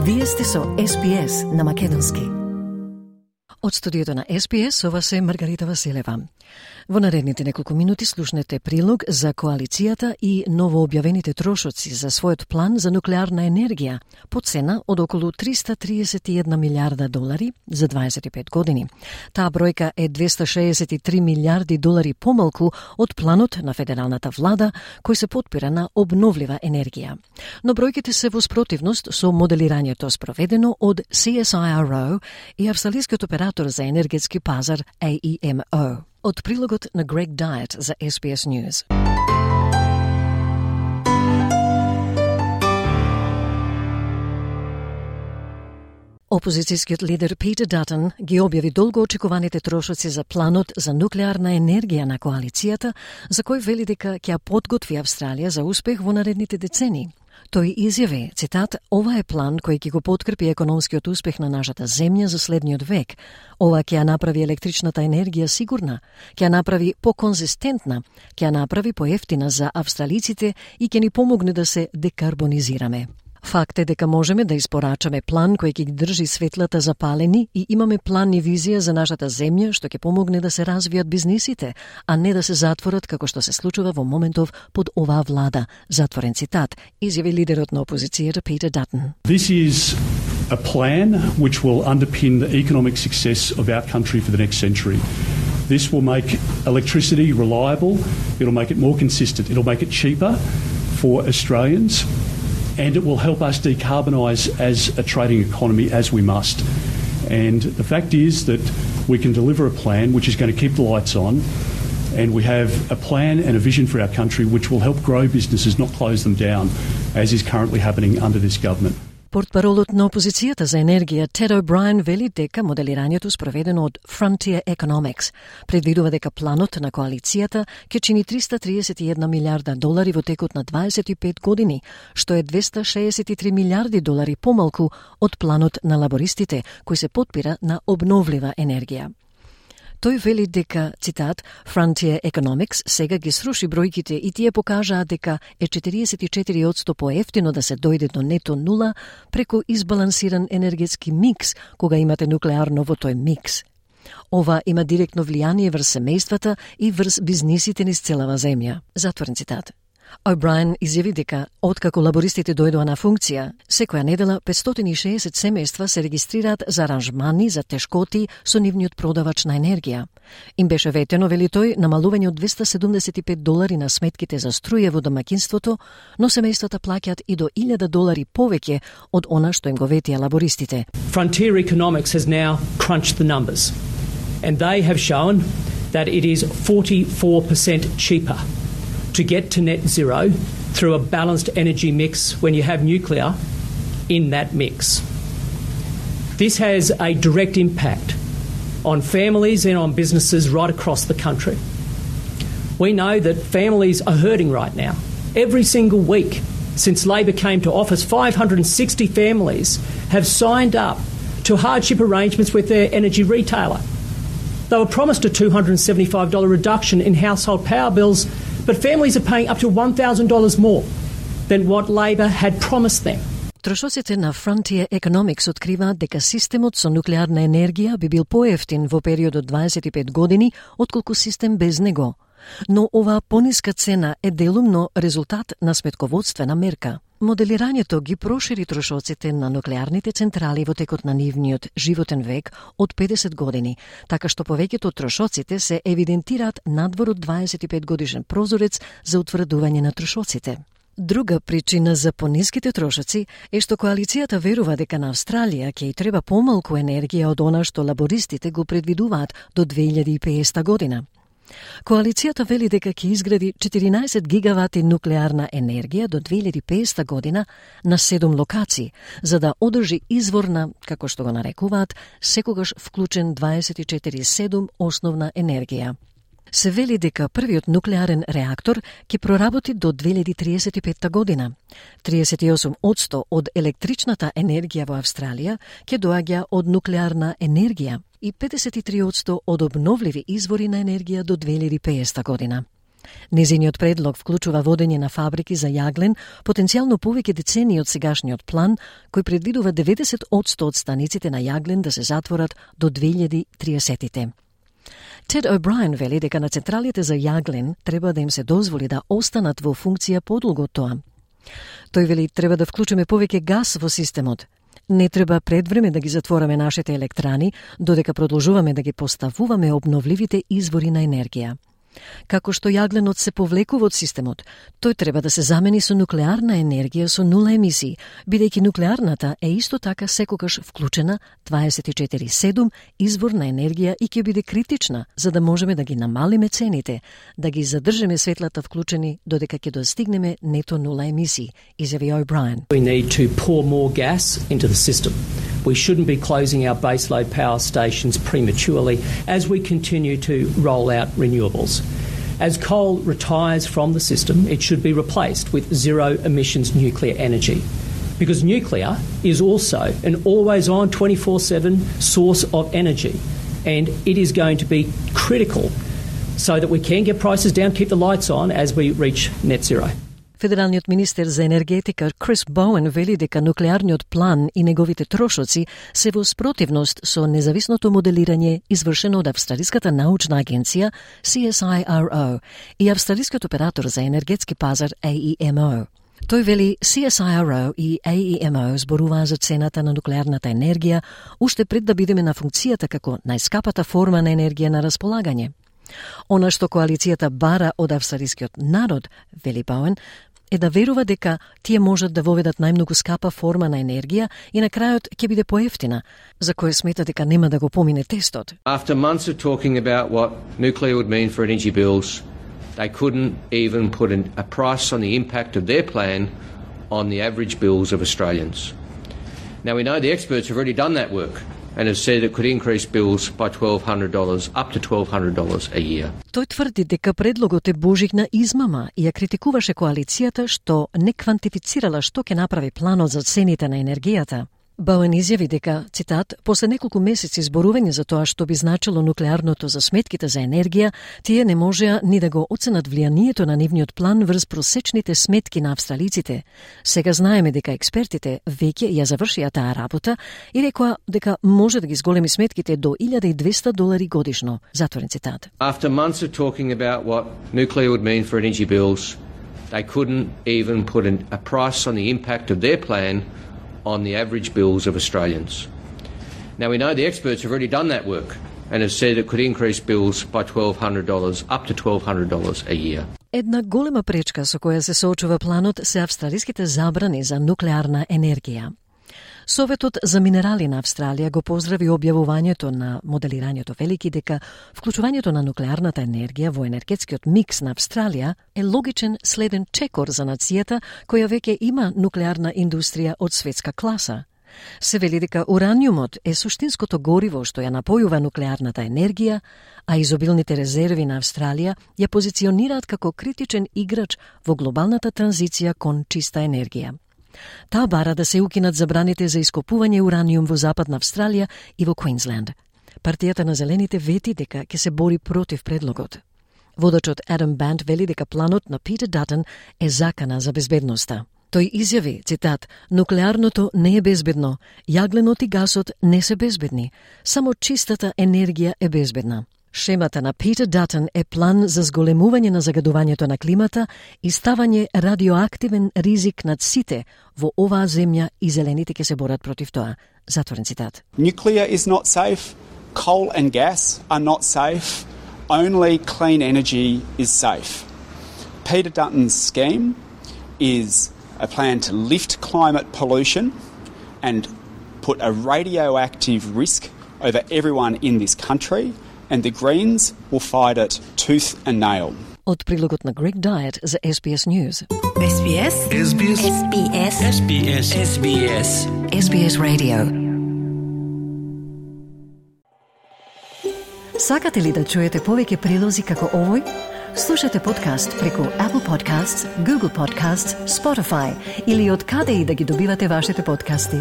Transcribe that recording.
Вие сте со SPS на македонски. Од студиото на SPS, ова се Маргарита Василева. Во наредните неколку минути слушнете прилог за коалицијата и новообјавените трошоци за својот план за нуклеарна енергија по цена од околу $331 милиарда за 25 години. Таа бројка е $263 милиарди помалку од планот на федералната влада кој се потпира на обновлива енергија. Но бројките се во спротивност со моделирањето спроведено од CSIRO и австралискиот оператор за енергетски пазар AEMO. Од прилогот на Greg Diet за SBS News. Опозицијскиот лидер Питер Датон ги објави долго очекуваните трошоци за планот за нуклеарна енергија на коалицијата, за кој вели дека ќе ја подготви Австралија за успех во наредните децении. Тој изјави, цитат, ова е план кој ќе го подкрепи економскиот успех на нашата земја за следниот век. Ова ќе ја направи електричната енергија сигурна, ќе ја направи поконзистентна, ќе ја направи поевтина за австралиците и ќе ни помогне да се декарбонизираме. Факт е дека можеме да испорачаме план кој ќе ги држи светлата запалени и имаме план и визија за нашата земја што ќе помогне да се развијат бизнисите, а не да се затворат како што се случува во моментов под оваа влада. Затворен цитат, изјави лидерот на опозицијата Питер Датон. This is a plan which will underpin the economic success of our country for the next century. This will make electricity reliable, it'll make it more consistent, it'll make it cheaper for Australians, and it will help us decarbonise as a trading economy as we must. And the fact is that we can deliver a plan which is going to keep the lights on, and we have a plan and a vision for our country which will help grow businesses, not close them down, as is currently happening under this government. Портпаролот на опозицијата за енергија Тед О'Брајен вели дека моделирањето спроведено од Frontier Economics предвидува дека планот на коалицијата ќе чини $331 милиарда во текот на 25 години, што е $263 милиарди помалку од планот на лабористите, кој се потпира на обновлива енергија. Тој вели дека, цитат, Frontier Economics сега ги сруши бројките и тие покажаа дека е 44% поевтино да се дојде до нето нула преку избалансиран енергетски микс кога имате нуклеарно во тој микс. Ова има директно влијание врз семејствата и врз бизнисите низ целава земја. Затворен цитат. О'Брајен изјави дека, откако лабористите дојдоа на функција, секоја недела 560 семејства се регистрираат за аранжмани за тешкоти со нивниот продавач на енергија. Им беше ветено, вели тој, намалување од $275 на сметките за струја во домаќинството, но семејствата плаќаат и до $1,000 повеќе од она што им го ветија лабористите. Frontier Economics has now crunched the numbers, and they have shown that it is 44% cheaper to get to net zero through a balanced energy mix when you have nuclear in that mix. This has a direct impact on families and on businesses right across the country. We know that families are hurting right now. Every single week since Labor came to office, 560 families have signed up to hardship arrangements with their energy retailer. They were promised a $275 reduction in household power bills, but families are paying up to $1,000 more than what Labor had promised them. Трошоците на Frontier Economics откриваат дека системот со нуклеарна енергија би бил поевтин во период од 25 години отколку систем без него. Но оваа пониска цена е делумно резултат на сметководствена мерка. Моделирањето ги прошири трошоците на нуклеарните централи во текот на нивниот животен век од 50 години, така што повеќето од трошоците се евидентираат надвор од 25 годишен прозорец за утврдување на трошоците. Друга причина за пониските трошоци е што коалицијата верува дека на Австралија ќе ѝ треба помалку енергија од она што лабористите го предвидуваат до 2050 година. Коалицијата вели дека ќе изгради 14 гигавати нуклеарна енергија до 2050 година на 7 локации, за да одржи изворна, како што го нарекуваат, секогаш вклучен 24/7 основна енергија. Се вели дека првиот нуклеарен реактор ќе проработи до 2035 година. 38% од електричната енергија во Австралија ќе доаѓа од нуклеарна енергија и 53% од обновливи извори на енергија до 2050 година. Незиниот предлог вклучува водење на фабрики за јаглен, потенцијално повеќе децении од сегашниот план, кој предвидува 90% од станиците на јаглен да се затворат до 2030-те. Тед О'Брајен вели дека на централите за јаглен треба да им се дозволи да останат во функција подолго од тоа. Тој вели треба да вклучиме повеќе газ во системот. Не треба пред време да ги затвораме нашите електрани, додека продолжуваме да ги поставуваме обновливите извори на енергија. Како што јагленот се повлекува од системот, тој треба да се замени со нуклеарна енергија со нула емисии, бидејќи нуклеарната е исто така секогаш вклучена 24/7 извор на енергија и ќе биде критична за да можеме да ги намалиме цените, да ги задржиме светлата вклучени додека ќе достигнеме нето нула емисии, изјави О'Брајен. We need to pour more gas into the system. We shouldn't be closing our baseload power stations prematurely as we continue to roll out renewables. As coal retires from the system, it should be replaced with zero-emissions nuclear energy, because nuclear is also an always-on 24/7 source of energy, and it is going to be critical so that we can get prices down, keep the lights on as we reach net zero. Федералниот министер за енергетика Крис Боуен вели дека нуклеарниот план и неговите трошоци се во спротивност со независното моделирање извршено од Австралиската научна агенција CSIRO и австралискиот оператор за енергетски пазар AEMO. Тој вели CSIRO и AEMO зборуваа за цената на нуклеарната енергија уште пред да бидеме на функцијата како најскапата форма на енергија на располагање. Она што коалицијата бара од австралискиот народ, вели Боуен, е да верува дека тие можат да воведат најмногу скапа форма на енергија и на крајот ќе биде поевтина, за кој смета дека нема да го помине тестот. After months of talking about what nuclear would mean for energy bills, they couldn't even put a price on the impact of their plan on the average bills of Australians. Now we know the experts have already done that work and have said it could increase bills by $1,200, up to $1,200 a year. Тој тврди дека предлогот е божигна измама и ја критикуваше коалицијата што не квантифицирала што ќе направи планот за цените на енергијата. Боуен изјави дека, цитат, после неколку месеци зборување за тоа што би значило нуклеарното за сметките за енергија, тие не можеа ни да го оценат влијанието на нивниот план врз просечните сметки на австралиците. Сега знаеме дека експертите веќе ја завршија таа работа и рекоа дека може да ги зголеми сметките до $1,200 годишно. Затворен цитат. After months of talking about what nuclear would mean for energy bills, they couldn't even put a price on the impact of their plan on the average bills of Australians. Now we know the experts have already done that work and have said it could increase bills by $1,200, up to $1,200 a year. Една голема пречка со која се соочува планот се австралиските забрани за нуклеарна енергија. Советот за минерали на Австралија го поздрави објавувањето на моделирањето велики дека вклучувањето на нуклеарната енергија во енергетскиот микс на Австралија е логичен следен чекор за нацијата која веќе има нуклеарна индустрија од светска класа. Се вели дека ураниумот е суштинското гориво што ја напојува нуклеарната енергија, а изобилните резерви на Австралија ја позиционираат како критичен играч во глобалната транзиција кон чиста енергија. Таа бара да се укинат забраните за ископување ураниум во Западна Австралија и во Квинсленд. Партијата на Зелените вети дека ќе се бори против предлогот. Водачот Адам Банд вели дека планот на Питер Датън е закана за безбедноста. Тој изјави, цитат, нуклеарното не е безбедно, јагленот и гасот не се безбедни, само чистата енергија е безбедна. Шемата на Питер Датън е план за зголемување на загадувањето на климата и ставање радиоактивен ризик над сите во оваа земја и зелените ќе се борат против тоа. Затворен цитат. Nuclear is not safe, coal and gas are not safe, only clean energy is safe. Peter Dutton's scheme is a plan to lift climate pollution and put a radioactive risk over everyone in this country, and the Greens will fight it tooth and nail. Од прилогот на Greg Diet за SBS News. SBS SBS SBS SBS SBS SBS Radio. Сакате ли да чуете повеќе прилози како овој? Слушате подкаст преку Apple Podcasts, Google Podcasts, Spotify или од каде и да ги добивате вашите подкасти.